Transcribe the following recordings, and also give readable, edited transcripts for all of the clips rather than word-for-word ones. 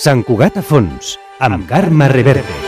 Sant Cugat a fons, amb Carme Reverte.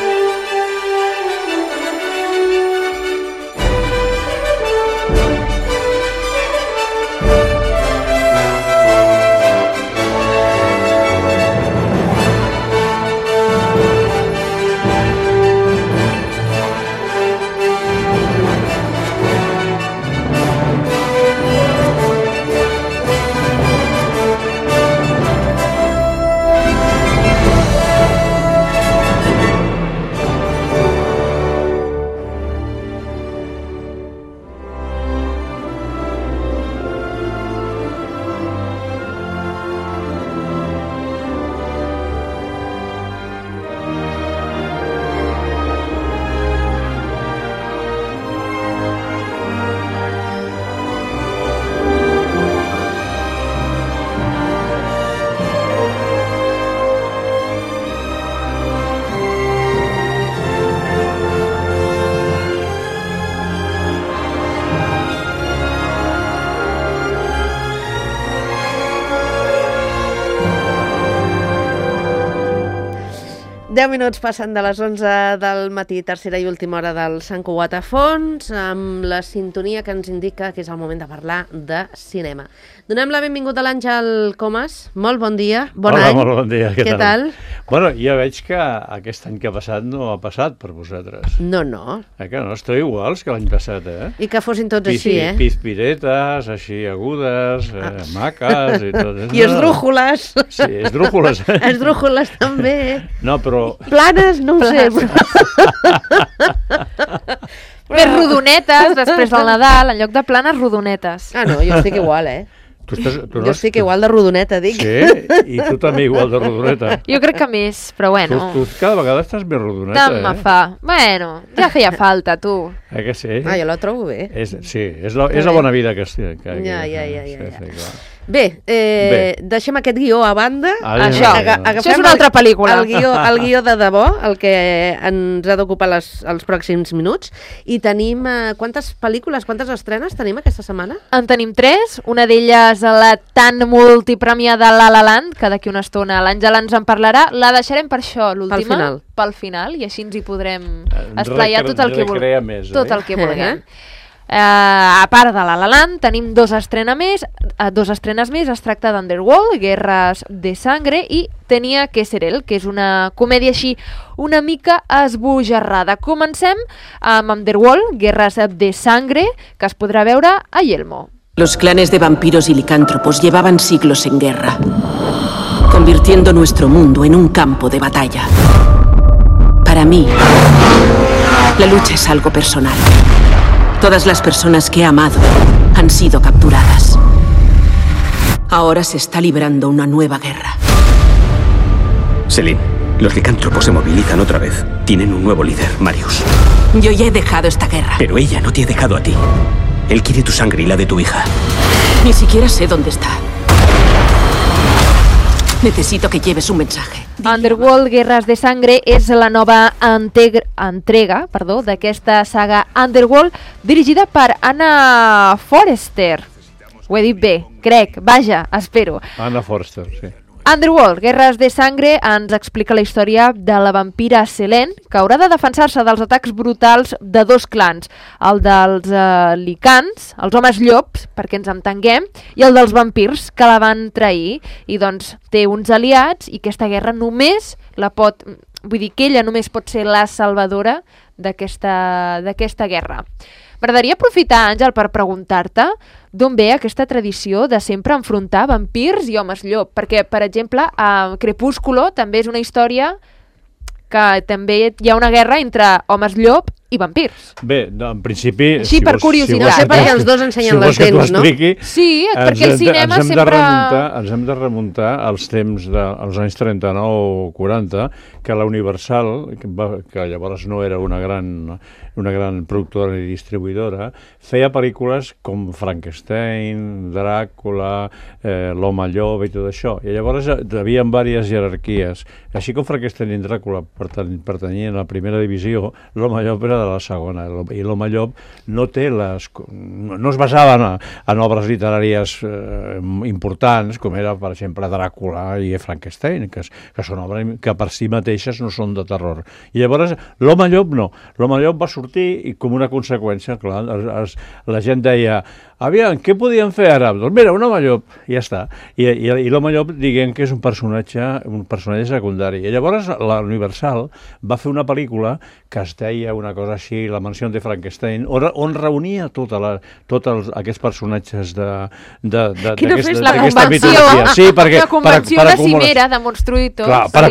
Minuts passen de les 11 del matí, tercera i última hora del Sant Cugat a fons, amb la sintonia que ens indica que és el moment de parlar de cinema. Donem la benvinguda a l'Àngel Comas. Molt bon dia, bon any. Molt bon dia, què tal? Bueno, ja veig que aquest any que ha passat no ha passat per vosaltres. No. Que no esteu iguals que l'any passat, I que fossin tots així, Pizpiretes, així agudes, maques i tot. I esdrújoles. Sí, esdrújoles. Esdrújoles també. No, però... Planes, no ho sé. Més rodonetes, després del Nadal, en lloc de planes, rodonetes. No, jo estic igual, Jo estic igual de rodoneta, dic. Sí? I tu també igual de rodoneta? Jo crec que més, però bueno. Tu cada vegada estàs més rodoneta, Tant me fa. Bueno, ja feia falta, tu. Que sí? Jo la trobo bé. Sí, és la bona vida que estic. Ja. Bé, deixem aquest guió a banda. Això és una altra pel·lícula. El guió de debò, el que ens ha d'ocupar els pròxims minuts. I tenim... Quantes pel·lícules, quantes estrenes tenim aquesta setmana? En tenim 3. Una d'elles la tan multipremiada La La Land, que d'aquí una estona l'Àngela ens en parlarà. La deixarem per això, l'última. Pel final. I així ens hi podrem esplaiar tot el que vulguem. Tot el que vulguem. A part de La La Land, tenim dos estrenes més. Es tracta d'Underworld, Guerres de Sangre, i Tenia que ser él, que és una comèdia així una mica esbojarrada. Comencem amb Underworld, Guerres de Sangre, que es podrà veure a Yelmo. Los clanes de vampiros y licántropos llevaban siglos en guerra, convirtiendo nuestro mundo en un campo de batalla. Para mí, la lucha es algo personal. Todas las personas que he amado han sido capturadas. Ahora se está librando una nueva guerra. Selene, los licántropos se movilizan otra vez. Tienen un nuevo líder, Marius. Yo ya he dejado esta guerra. Pero ella no te ha dejado a ti. Él quiere tu sangre y la de tu hija. Ni siquiera sé dónde está. Necesito que lleves un mensaje. Underworld, Guerres de Sangre és la nova entrega d'aquesta saga Underworld, dirigida per Anna Forster. Ho he dit bé, crec, vaja, espero. Anna Forster, sí. Underworld, Guerres de Sangre, ens explica la història de la vampira Selene, que haurà de defensar-se dels atacs brutals de dos clans, el dels licants, els homes llops, perquè ens entenguem, i el dels vampirs, que la van trair, i doncs té uns aliats, i aquesta guerra només la pot... Vull dir que ella només pot ser la salvadora d'aquesta guerra. M'agradaria aprofitar, Àngel, per preguntar-te d'on ve aquesta tradició de sempre enfrontar vampirs i homes llop, perquè, per exemple, a Crepúsculo també és una història que també hi ha una guerra entre homes llop i vampirs. Bé, en principi... Així, per curiositat. No sé perquè els dos ensenyen les dents, no? Sí, perquè el cinema sempre... Ens hem de remuntar als temps dels anys 39 o 40, que la Universal, que llavors no era una gran productora i distribuïdora, feia pel·lícules com Frankenstein, Dràcula, l'Home Llop i tot això. I llavors hi havia diverses jerarquies. Així com Frankenstein i Dràcula pertanyien a la primera divisió, l'Home Llop era de la segona. I l'Home Llop no es basava en obres literàries importants, com era, per exemple, Dràcula i Frankenstein, que són obres que per si mateixes no són de terror. I llavors l'Home Llop no. L'Home Llop va sortir i com una conseqüència, clar, la gent deia, aviam, què podíem fer ara? Doncs mira, un home llop, i ja està. I l'home llop, diguem que és un personatge secundari. I llavors la Universal va fer una pel·lícula que es deia una cosa així, La mansió de Frankenstein, on reunia tots aquests personatges d'aquesta mitologia. Sí, una convenció de cimera, de monstruïtos. Clar, per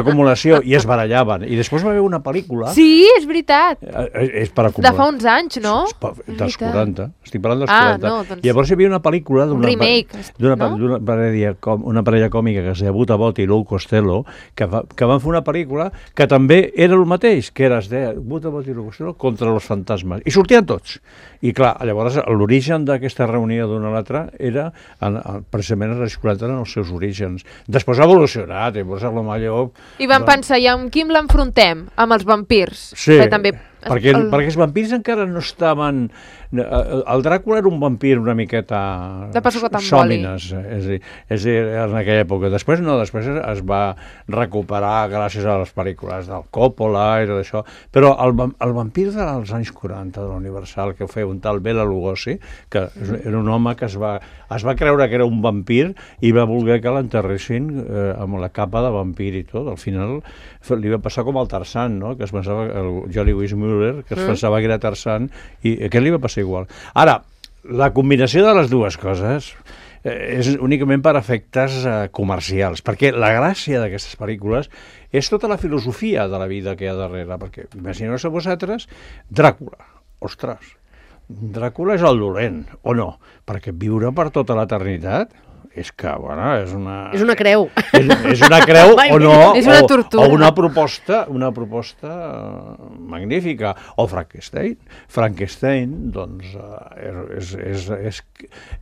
acumulació, i es barallaven. I després va haver una pel·lícula... Sí, és veritat. És per acumular. De fa uns anys, no? Dels 40. Estic parlant dels 40. No, doncs... Llavors hi havia una pel·lícula d'una parella còmica que es deia Buta Bot i Lou Costello, que van fer una pel·lícula que també era el mateix, que era, es deia Buta Bot i Lou Costello contra els fantasmes. I sortien tots. I clar, llavors l'origen d'aquesta reunió d'una a l'altra era precisament els 40 en els seus orígens. Després ha evolucionat, llavors l'Home Llop... I van pensar, i amb qui l'enfrontem? Amb els vampirs. Sí, perquè els vampirs encara no estaven... El Dràcula era un vampir una miqueta sòmines, és a dir, en aquella època. Després no, després es va recuperar gràcies a les pel·lícules del Coppola i tot això, però el vampir dels anys 40 de la Universal, que ho feia un tal Bela Lugosi, que era un home que es va creure que era un vampir i va voler que l'enterressin amb la capa de vampir i tot. Al final li va passar com al Tarzan, no? Que es pensava, el Johnny Weissmuller, que es pensava que era Tarzan, i aquest li va passar igual. Ara, la combinació de les dues coses és únicament per efectes comercials, perquè la gràcia d'aquestes pel·lícules és tota la filosofia de la vida que hi ha darrere, perquè imagineu-vos vosaltres Dràcula, ostres, Dràcula és el dolent, o no? Perquè viure per tota l'eternitat és que, bueno, és una... És una creu. És una creu o no, és una tortura. O una proposta magnífica. O Frankenstein. Frankenstein, doncs,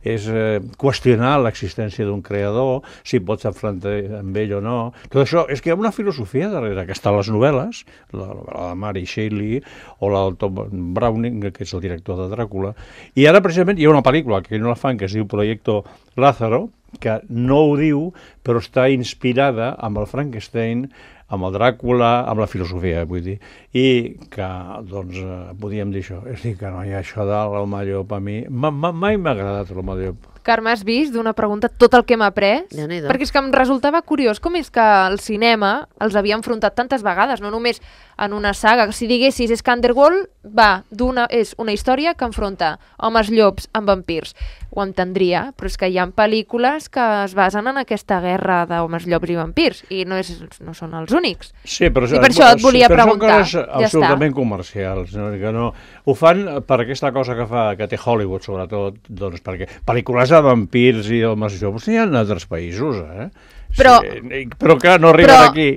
és qüestionar l'existència d'un creador, si pots enfrontar amb ell o no. Tot això, és que hi ha una filosofia darrere, que està a les novel·les, la novel·la de Mary Shelley, o la del Tom Browning, que és el director de Dràcula. I ara, precisament, hi ha una pel·lícula que no la fan, que es diu Proyecto Lázaro, que no ho diu, però està inspirada amb el Frankenstein, amb el Dràcula, amb la filosofia, vull dir, i que, doncs, podíem dir això. És a dir, que no hi ha això de l'Home Llop a mi. Mai m'ha agradat l'Home Llop. Carme, has vist d'una pregunta tot el que hem après? Perquè és que em resultava curiós com és que el cinema els havia enfrontat tantes vegades, no només en una saga. Si diguessis, és que Underworld és una història que enfronta homes llops amb vampirs. Ho entendria, però és que hi ha pel·lícules que es basen en aquesta guerra d'homes llops i vampirs, i no són els únics. Sí, però, i per això et volia preguntar. Són coses absolutament comercials. No? Que no, ho fan per aquesta cosa que té Hollywood, sobretot, doncs, perquè pel·lícules de vampirs i homes llops n'hi ha en altres països, Però que no arriben aquí.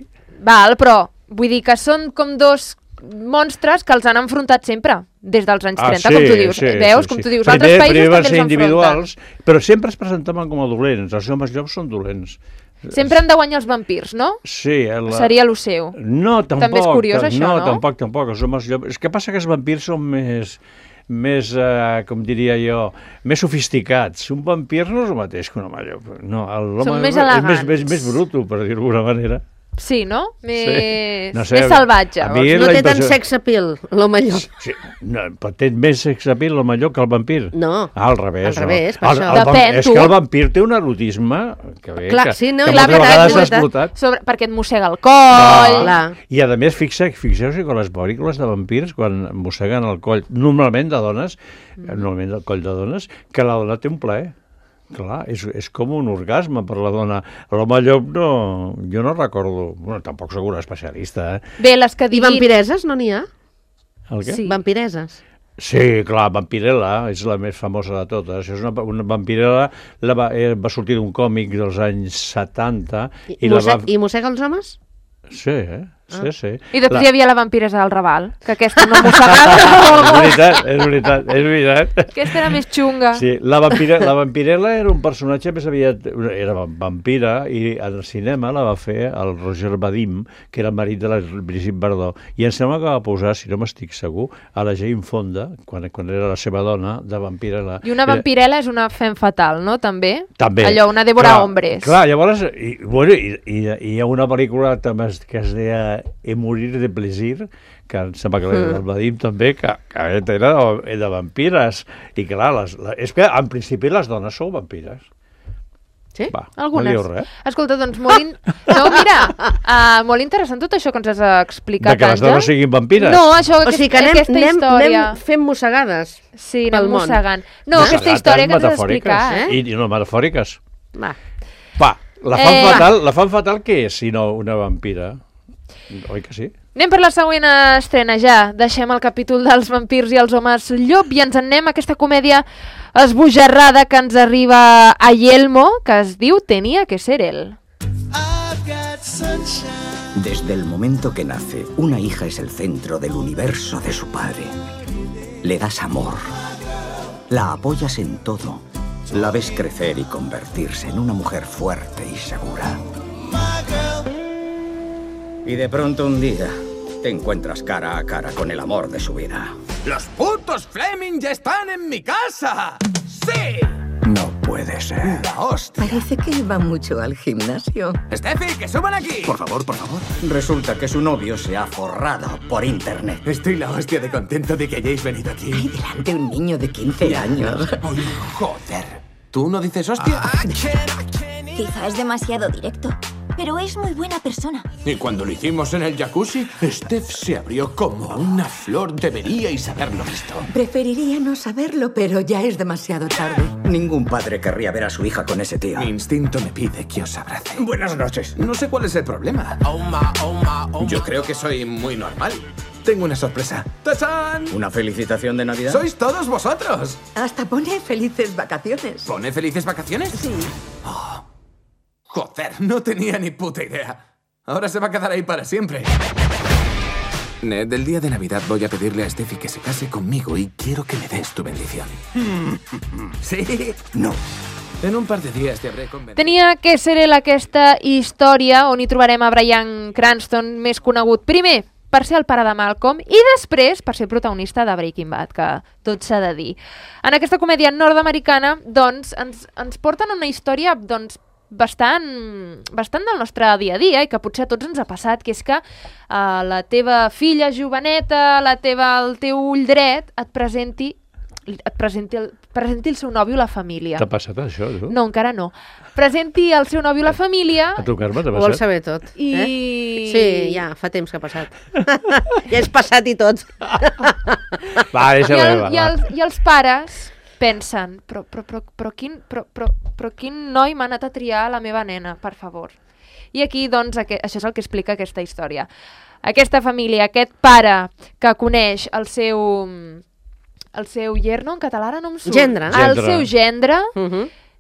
Val, però vull dir que són com dos monstres que els han enfrontat sempre, des dels anys 30, com tu dius. Veus, com tu dius, altres països també els enfronten. Però sempre es presentaven com a dolents, els homes llops són dolents. Sempre han de guanyar els vampirs, no? Sí. Seria el seu. No, tampoc. També és curiós, això, no? No, tampoc. Els homes llops... És que passa que els vampirs són més com diria jo, més sofisticats. Un vampir no és el mateix que un home llop. No, són més elegants. És més bruto, per dir-ho d'alguna manera. Sí, no? Més més salvatge. No té tant sex appeal, l'home llop. Sí, no, però té més sex appeal l'home llop que el vampir. No. Al revés. Al revés, per això. Depèn, és que el vampir té un erotisme que sí, no, moltes vegades s'ha explotat. Perquè et mossega el coll. I a més, fixeu-vos que les pel·lícules de vampirs, quan mosseguen el coll, normalment de dones, normalment el coll de dones, que la dona té un plaer. Clar, és com un orgasme per la dona. L'home llop jo no recordo, bueno, tampoc sóc un especialista. Bé, les que diguin... I vampireses no n'hi ha? El què? Sí. Vampireses. Sí, clar, Vampirella és la més famosa de totes. És una Vampirella va sortir d'un còmic dels anys 70. I mossega els homes? Sí, Sí. I després hi havia la vampiresa del Raval, que aquesta no mossegava. És veritat. Aquesta era més xunga. Sí, la vampirella era un personatge més aviat... Era vampira i al cinema la va fer el Roger Vadim, que era el marit de la Brigitte Bardot. I em sembla que va posar, si no m'estic segur, a la Jane Fonda, quan era la seva dona, de vampirella. I una vampirella és una femme fatal, no? També? També. Allò, una Débora Hombres. Clar, llavors, hi ha una pel·lícula també que es deia Morir de plaisir, que em sembla que el Vadim també, que era de vampires. I clar, és que en principi les dones sou vampires. Sí? Va, algunes. No diu res. Escolta, doncs, molt interessant tot això que ens has explicat, De que les dones siguin vampires? No, això, O sigui que anem fent mossegades. Sí, anem mossegant. No, aquesta història que ens has explicat. I no metafòriques. Va, la fan fatal què és, si no una vampira? Oi que sí? Anem per la següent estrena ja. Deixem el capítol dels vampirs i els homes llop i ens anem a aquesta comèdia esbojarrada que ens arriba a Yelmo, que es diu Tenía que ser él. Desde el momento que nace, una hija es el centro del universo de su padre. Le das amor, la apoyas en todo, la ves crecer y convertirse en una mujer fuerte y segura. Y de pronto un día te encuentras cara a cara con el amor de su vida. ¡Los putos Fleming ya están en mi casa! ¡Sí! No puede ser. ¡La hostia! Parece que va mucho al gimnasio. ¡Steffi, que suban aquí! Por favor, por favor. Resulta que su novio se ha forrado por internet. Estoy la hostia de contento de que hayáis venido aquí. Ay, delante un niño de 15 años. Ay, joder. ¿Tú no dices hostia? Quizá es demasiado directo, pero es muy buena persona. Y cuando lo hicimos en el jacuzzi, Steph se abrió como una flor. Deberíais haberlo visto. Preferiría no saberlo, pero ya es demasiado tarde. Ningún padre querría ver a su hija con ese tío. Mi instinto me pide que os abrace. Buenas noches. No sé cuál es el problema. Yo creo que soy muy normal. Tengo una sorpresa. ¡Tachán! ¿Una felicitación de Navidad? ¡Sois todos vosotros! Hasta pone felices vacaciones. ¿Pone felices vacaciones? Sí. Oh. Joder, no tenía ni puta idea. Ahora se va a quedar ahí para siempre. Ned, el día de Navidad voy a pedirle a Steffi que se case conmigo y quiero que me des tu bendición. ¿Sí? No. En un par de días te habré convencido. Tenia que ser aquesta història on hi trobarem a Bryan Cranston, més conegut primer per ser el pare de Malcolm i després per ser protagonista de Breaking Bad, que tot s'ha de dir. En aquesta comèdia nord-americana, doncs, ens porten una història, doncs, bastant del nostre dia a dia i que potser a tots ens ha passat, que és que la teva filla joveneta, el teu ull dret, et presenti el seu nòvio a la família. T'ha passat això, tu? No, encara no. Presenti el seu nòvio a la família... A tu, Carme, t'ha ho passat? vols saber tot. Sí, ja, fa temps que ha passat. Ja és passat i tot. Va, deixa-ho, I els pares pensen, però quin noi m'ha anat a triar la meva nena, per favor. I aquí, doncs, això és el que explica aquesta història. Aquesta família, aquest pare que coneix el seu yerno, en català ara no em surt. Gendre. El seu gendre.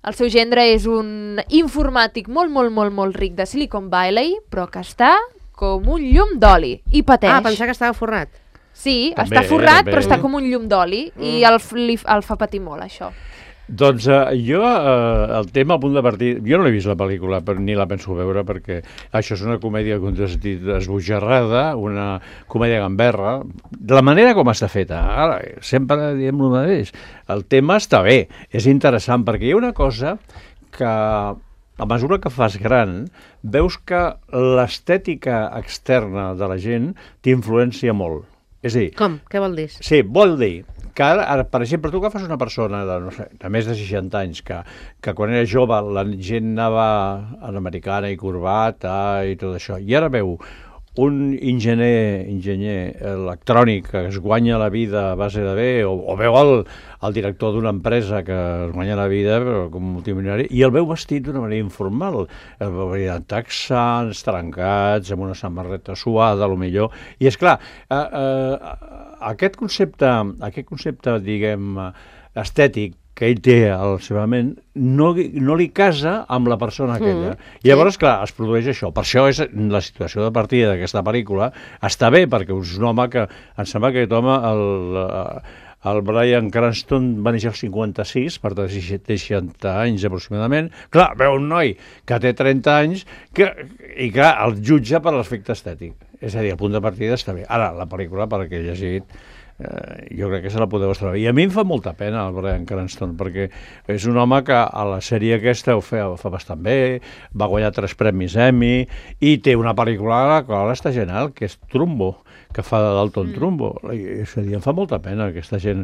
El seu gendre és un informàtic molt ric de Silicon Valley, però que està com un llum d'oli i pateix. Ah, pensava que estava forrat. Sí, També, està forrat, també. però està com un llum d'oli i el fa patir molt, això. Doncs jo, el tema a punt de partir... Jo no l'he vist la pel·lícula, però ni la penso veure, perquè això és una comèdia, com tu has dit, esbojarrada, una comèdia gamberra, de la manera com està feta. Ara, sempre diem el mateix. El tema està bé, és interessant, perquè hi ha una cosa que, a mesura que fas gran, veus que l'estètica externa de la gent t'influencia molt. És a dir... Com? Què vol dir? Sí, vol dir que ara, per exemple, tu agafes una persona de, no sé, de més de 60 anys que quan era jove la gent anava a l'americana i corbata i tot això, i ara veu un enginyer electrònic que es guanya la vida a base de bé, o veu el director d'una empresa que es guanya la vida però com multimilionari, i el veu vestit d'una manera informal, el veu amb texans, trencats, amb una samarreta suada, millor, i és clar, aquest concepte, diguem, estètic, que ell té a la seva ment, no li casa amb la persona aquella. I llavors, clar, es produeix això. Per això és la situació de partida d'aquesta pel·lícula. Està bé, perquè és un home que... Em sembla que aquest home, el Bryan Cranston, va néixer al 56, per tant, 60 anys aproximadament. Clar, veu un noi que té 30 anys i, clar, el jutja per l'aspecte estètic. És a dir, el punt de partida està bé. Ara, la pel·lícula, per que he llegit, jo crec que se la podeu estar bé. I a mi em fa molta pena el Bryan Cranston, perquè és un home que a la sèrie aquesta ho fa bastant bé, va guanyar 3 premis Emmy, i té una pel·lícula a la qual està genial, que és Trumbo, que fa de Dalton Trumbo. És a dir, em fa molta pena aquesta gent.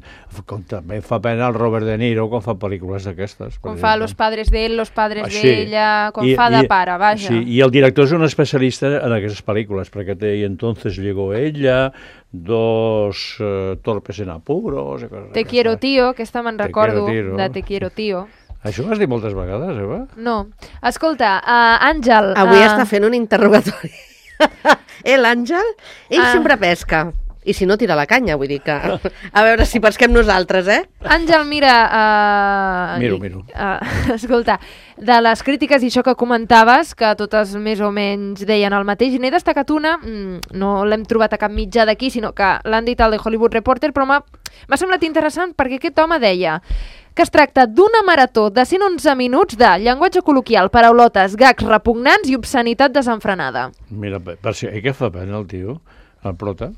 Com també fa pena el Robert De Niro quan fa pel·lícules d'aquestes. Com fa Los padres d'ell, Los padres d'ella, com fa de pare, vaja. Sí, i el director és un especialista en aquestes pel·lícules, perquè té I entonces llegó ella, Dos torpes en apuros... Te quiero tío, aquesta me'n recordo, de Te quiero tío. Això ho has dit moltes vegades, Eva? No. Escolta, Àngel... Avui està fent un interrogatori. L'Àngel, ell sempre pesca. I si no, tira la canya, vull dir que... A veure si pesquem nosaltres, Àngel, mira... Miro. Escolta, de les crítiques i això que comentaves, que totes més o menys deien el mateix, n'he destacat una, no l'hem trobat a cap mitjà d'aquí, sinó que l'han dit al The Hollywood Reporter, però m'ha semblat interessant perquè aquest home deia que es tracta d'una marató de 111 minuts de llenguatge col·loquial, paraulotes, gags repugnants i obscenitat desenfrenada. Mira, per si què fa pena el tio, el prota?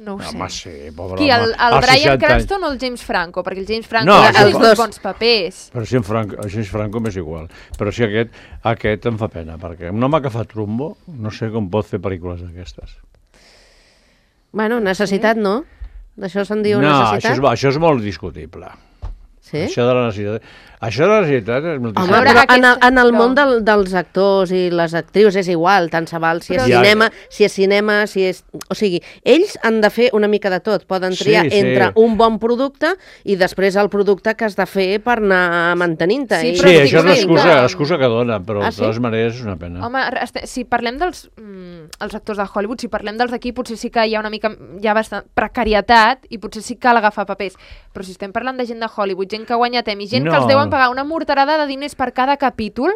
No ho sé. Home, sí, pobre Qui, el Bryan Cranston o el James Franco? Perquè el James Franco ha tingut bons papers. Però si el James Franco m'és igual. Però si aquest em fa pena, perquè un home que fa Trumbo, no sé com pot fer pel·lícules d'aquestes. Bueno, necessitat no. D'això se'n diu necessitat? No, això és molt discutible. Sí? Això de la necessitat és molt Home, però en el món dels actors i les actrius és igual, tant se val si és cinema, si és... O sigui, ells han de fer una mica de tot. Poden triar entre un bon producte i després el producte que has de fer per anar mantenint-te. Sí, això és l'excusa que dona, però de totes maneres és una pena. Home, si parlem dels actors de Hollywood, si parlem dels d'aquí, potser sí que hi ha una mica, hi ha bastant precarietat i potser sí que cal agafar papers. Però si estem parlant de gent de Hollywood, gent que ha guanyat Emmy, gent que els deuen pagar una morterada de diners per cada capítol,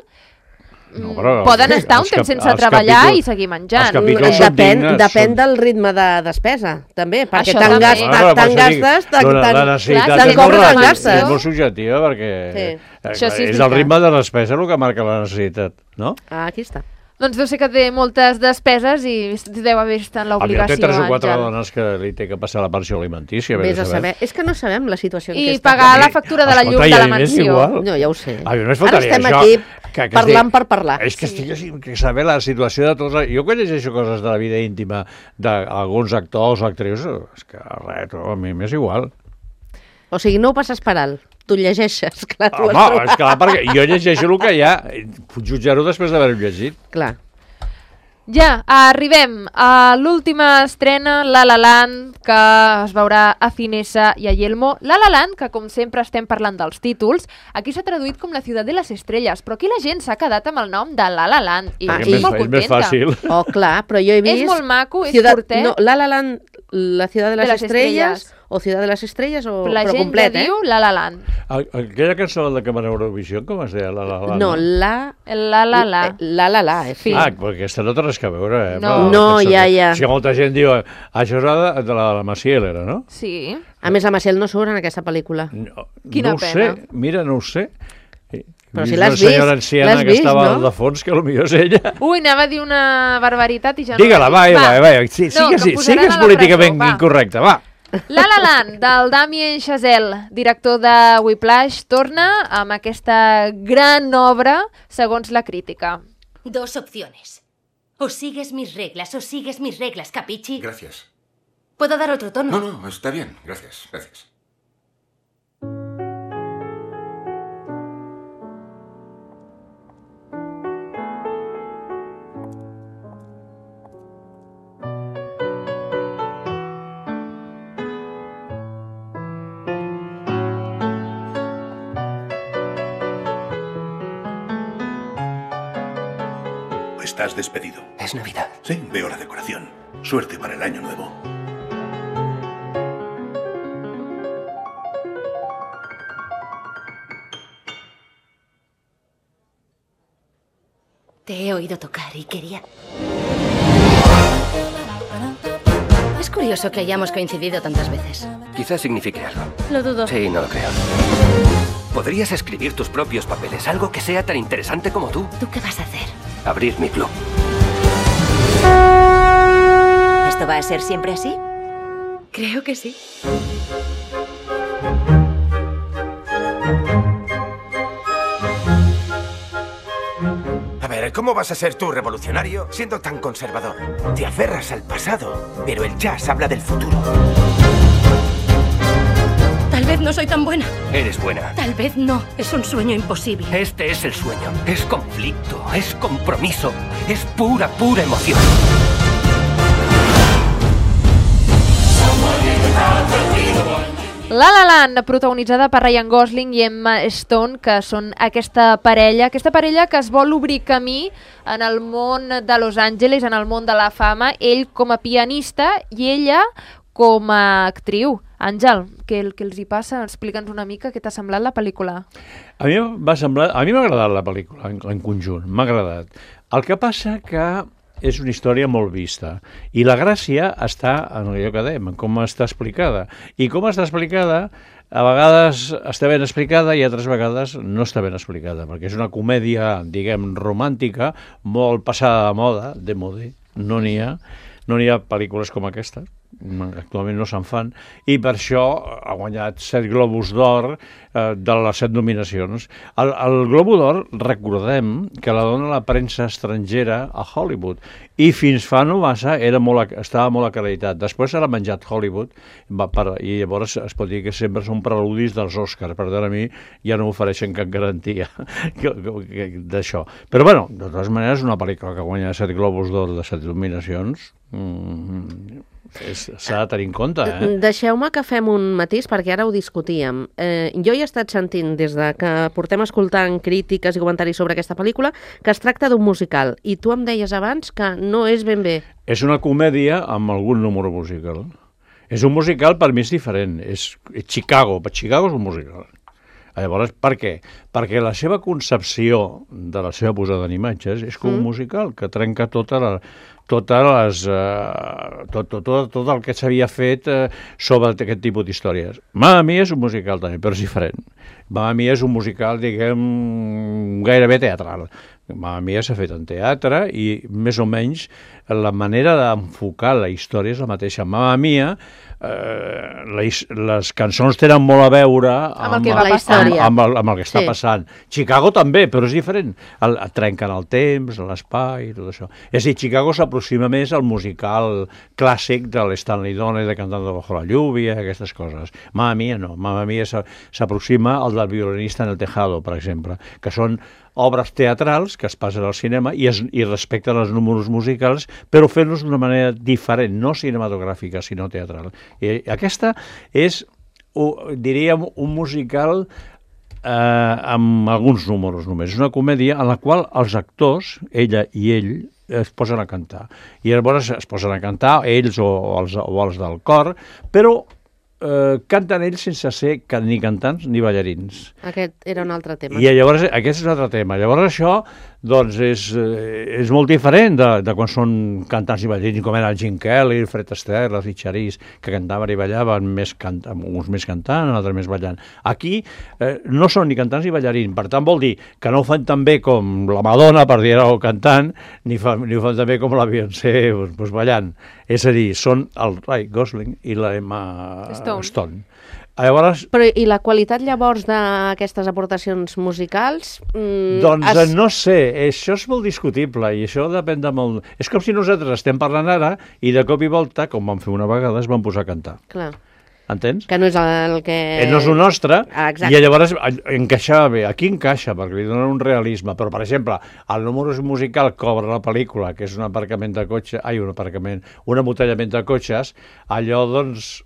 poden estar un temps sense treballar i seguir menjant. Depèn del ritme de despesa, també, perquè tant gastes, tant cobres, tant gastes. És molt subjectiva, perquè és el ritme de despesa el que marca la necessitat, no? Aquí està. Doncs deu ser que té moltes despeses i deu haver estat l'obligació. Té 3 o 4 dones que li té que passar la pensió alimentícia. Vés a saber. És que no sabem la situació en què està. I pagar la factura de la llum de la mansió. No, ja ho sé. Ara estem aquí parlant per parlar. És que estic que saber la situació de tots... Jo quan llegeixo coses de la vida íntima d'alguns actors o actrius, és que res, a mi m'és igual. O sigui, no ho passes per alt. Tu llegeixes, clar. Home, és clar, perquè jo llegeixo el que hi ha. Puc jutjar-ho després d'haver-ho llegit. Clar. Ja, arribem a l'última estrena, La La Land, que es veurà a Cinesa i a Yelmo. La La Land, que com sempre estem parlant dels títols, aquí s'ha traduït com La ciudad de las estrellas, però aquí la gent s'ha quedat amb el nom de La La Land. I estic molt contenta. És més fàcil. Oh, clar, però jo he vist... És molt maco, és curtet. No, La La Land, La ciudad de las estrellas... O Ciudad de las Estrellas, o la però complet, gent diu La La Land. Aquella cançó de que va a Eurovisió, com es deia? La La Land? No, La La La. La La La, sí. perquè aquesta no té res que veure, No, ja. Si molta gent diu, això és de la Maciel, era, no? Sí. A més, la Maciel no surt en aquesta pel·lícula. Quina pena. Mira, no ho sé. Però si l'has vist, una senyora anciana que estava al fons, que potser és ella. Ui, anava a dir una barbaritat i ja no... Digue-la, va. Sigues políticament incorrecte, va. La La Land, del Damien Chazelle, director de Whiplash, torna amb aquesta gran obra, segons la crítica. 2 opciones. O sigues mis reglas, capichi. Gracias. ¿Puedo dar otro tono? No, está bien. Gracias. Estás despedido. Es Navidad. Sí, veo la decoración. Suerte para el año nuevo. Te he oído tocar y quería... Es curioso que hayamos coincidido tantas veces. Quizás signifique algo. Lo dudo. Sí, no lo creo. Podrías escribir tus propios papeles, algo que sea tan interesante como tú. ¿Tú qué vas a hacer? Abrir mi club. ¿Esto va a ser siempre así? Creo que sí. A ver, ¿cómo vas a ser tú revolucionario siendo tan conservador? Te aferras al pasado, pero el jazz habla del futuro. Tal vez no soy tan buena. Eres buena. Tal vez no. Es un sueño imposible. Este es el sueño. Es conflicto, es compromiso, es pura, pura emoción. La La Land, protagonitzada per Ryan Gosling i Emma Stone, que són aquesta parella que es vol obrir camí en el món de Los Angeles, en el món de la fama, ell com a pianista i ella com a actriu. Àngel, què els hi passa? Explica'ns una mica què t'ha semblat la pel·lícula. A mi m'ha agradat la pel·lícula en conjunt, m'ha agradat. El que passa que és una història molt vista i la gràcia està en allò que dèiem, en com està explicada. I com està explicada, a vegades està ben explicada i altres vegades no està ben explicada, perquè és una comèdia, diguem, romàntica, molt passada de moda, de modé, no n'hi ha pel·lícules com aquesta, actualment no se'n fan, i per això ha guanyat 7 Globus d'Or de les 7 nominacions. El Globo d'Or, recordem que la dona la premsa estrangera a Hollywood, i fins fa no massa estava molt acreditat. Després s'ha menjat Hollywood, i llavors es pot dir que sempre són preludis dels Oscars, per tant a mi ja no m'ofereixen cap garantia d'això. Però bueno, de totes maneres, una pel·lícula que guanya 7 Globus d'Or de 7 nominacions s'ha de tenir en compte, Deixeu-me que fem un matís, perquè ara ho discutíem. Jo he estat sentint, des de que portem escoltant crítiques i comentaris sobre aquesta pel·lícula, que es tracta d'un musical, i tu em deies abans que no és ben bé. És una comèdia amb algun número musical. És un musical, per mi és diferent. És Chicago, per Chicago és un musical. Llavors, per què? Perquè la seva concepció de la seva posada en imatges és com un musical, que trenca tot el que s'havia fet sobre aquest tipus d'històries. Mamma Mia és un musical també, però és diferent. Mamma Mia és un musical, diguem, gairebé teatral. Mamma Mia s'ha fet en teatre i més o menys la manera d'enfocar la història és la mateixa. Mamma Mia, les cançons tenen molt a veure amb el que està passant. Chicago també, però és diferent. Trenquen el temps, l'espai, tot això. És a dir, Chicago s'aproxima més al musical clàssic de l'Stanley Donen, de Cantando bajo la lluvia, aquestes coses. Mamma Mia no. Mamma Mia s'aproxima al del violinista en el tejado, per exemple, que són obres teatrals que es passen al cinema i respecten els números musicals, però fent-los d'una manera diferent, no cinematogràfica, sinó teatral. I aquesta és, diríem, un musical amb alguns números només. És una comèdia en la qual els actors, ella i ell, es posen a cantar. I llavors es posen a cantar, ells o els del cor, però canten ells sense ser ni cantants ni ballarins. Aquest era un altre tema. I llavors aquest és un altre tema. Llavors això doncs és molt diferent de quan són cantants i ballarins, com era el Gene Kelly, el Fred Astaire, els Richards, que cantaven i ballaven, uns més cantant, altres més ballant. Aquí no són ni cantants ni ballarins, per tant vol dir que no ho fan tan bé com la Madonna, per dir-ho cantant, ni ho fan tan bé com la Beyoncé ballant. És a dir, són el Ryan Gosling i la Emma Stone. Llavors, però i la qualitat llavors d'aquestes aportacions musicals? Doncs no sé, això és molt discutible i això depèn de molt... És com si nosaltres estem parlant ara i de cop i volta, com vam fer una vegada, es van posar a cantar. Clar. Entens? Que no és el que... No és el nostre, exacte. I llavors encaixava bé. Aquí encaixa, perquè li donen un realisme, però, per exemple, el número musical que obre la pel·lícula, que és un aparcament de cotxe, un embotellament de cotxes, allò, doncs,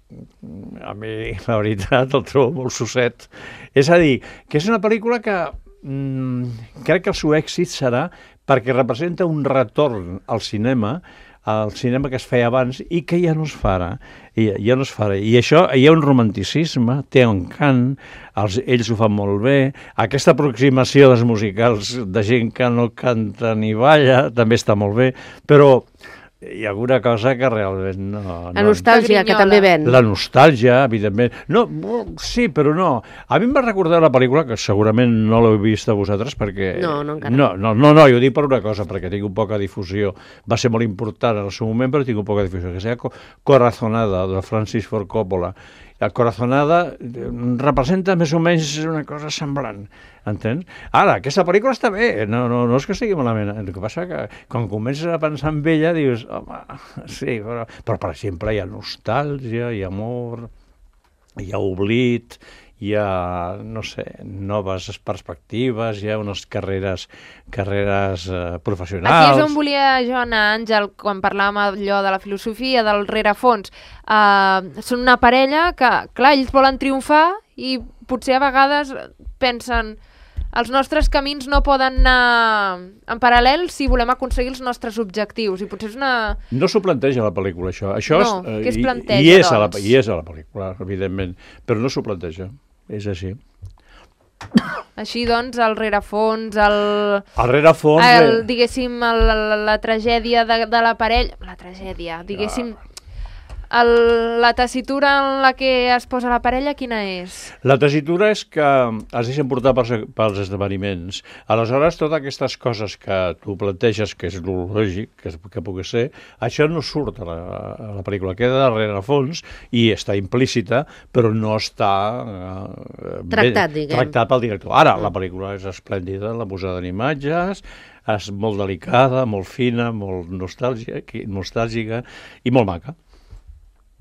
a mi, la veritat, el trobo molt sosset. És a dir, que és una pel·lícula que crec que el seu èxit serà perquè representa un retorn al cinema al cinema que es feia abans i que ja no es farà. Ja no es farà. I això, hi ha un romanticisme, té un cant, ells ho fan molt bé, aquesta aproximació dels musicals de gent que no canta ni balla també està molt bé, però hi ha alguna cosa que realment no... La nostàlgia, que també ven. La nostàlgia, evidentment. No, sí, però no. A mi em va recordar la pel·lícula, que segurament no l'heu vist a vosaltres, perquè... No, encara. No, jo ho dic per una cosa, perquè tinc un poca difusió. Va ser molt important en el seu moment, però tinc un poca difusió. Que és Corazonada, de Francis Ford Coppola. La Corazonada representa més o menys una cosa semblant, entens? Ara, aquesta pel·lícula està bé, no és que estigui malament. El que passa que quan comences a pensar en ella dius, home, sí, però per exemple hi ha nostàlgia, hi ha amor, hi ha oblit, hi ha, no sé, noves perspectives, hi ha unes carreres professionals. Aquí és on volia jo anar, Àngel, quan parlàvem allò de la filosofia, del rerefons. Són una parella que, clar, ells volen triomfar i potser a vegades pensen els nostres camins no poden anar en paral·lel si volem aconseguir els nostres objectius. I potser és una... No s'ho planteja la pel·lícula, això. No, què es planteja, doncs? I és a la pel·lícula, evidentment, però no s'ho planteja. És així. Així, doncs, el rerefons, diguéssim, la tragèdia de la parella... La tragèdia, diguéssim... La tessitura en la que es posa la parella, quina és? La tessitura és que es deixen portar pels esdeveniments. Aleshores, totes aquestes coses que tu planteges, que és lògic, que pugui ser, això no surt a la pel·lícula. Queda darrere a fons i està implícita, però no està tractat pel director. Ara, la pel·lícula és esplèndida, la posada en imatges, és molt delicada, molt fina, molt nostàlgica i molt maca.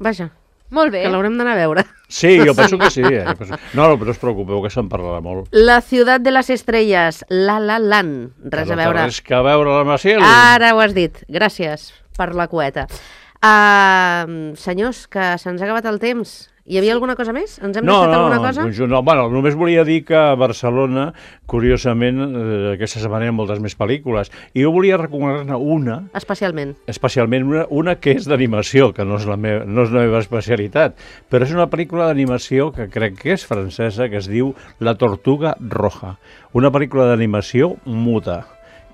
Vaja, molt bé. Que l'haurem d'anar a veure. Sí, jo penso que sí. No, però no us preocupeu, que se'n parlarà molt. La ciutat de les estrelles, La La Land. Res a veure. Res que a veure la Maciel. Ara ho has dit. Gràcies per la cueta. Senyors, que se'ns ha acabat el temps. Hi havia alguna cosa més? Ens hem deixat alguna cosa? No, només volia dir que a Barcelona, curiosament, aquesta setmana hi ha moltes més pel·lícules. I jo volia recomanar-ne una... Especialment una que és d'animació, que no és la meva especialitat, però és una pel·lícula d'animació que crec que és francesa, que es diu La Tortuga Roja. Una pel·lícula d'animació muda,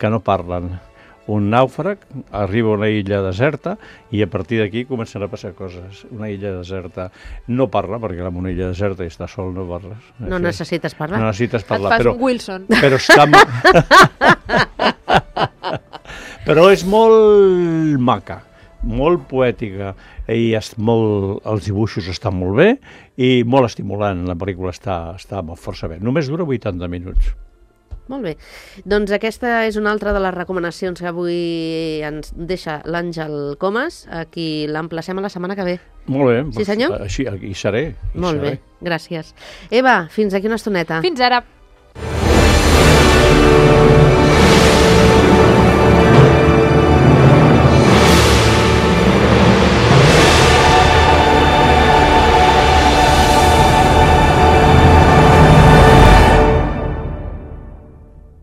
que no parlen. Un nàufrag arriba a una illa deserta i a partir d'aquí comencen a passar coses. Una illa deserta no parla, perquè en una illa deserta i està sol no parles. No necessites parlar. No necessites parlar. Et fas un Wilson. Però està... però és molt maca, molt poètica i els dibuixos estan molt bé i molt estimulant. La pel·lícula està força bé. Només dura 80 minuts. Molt bé. Doncs aquesta és una altra de les recomanacions que avui ens deixa l'Àngel Comas, a qui l'emplacem a la setmana que ve. Molt bé. Sí, senyor? Així, hi seré. Molt bé, gràcies. Eva, fins aquí una estoneta. Fins ara.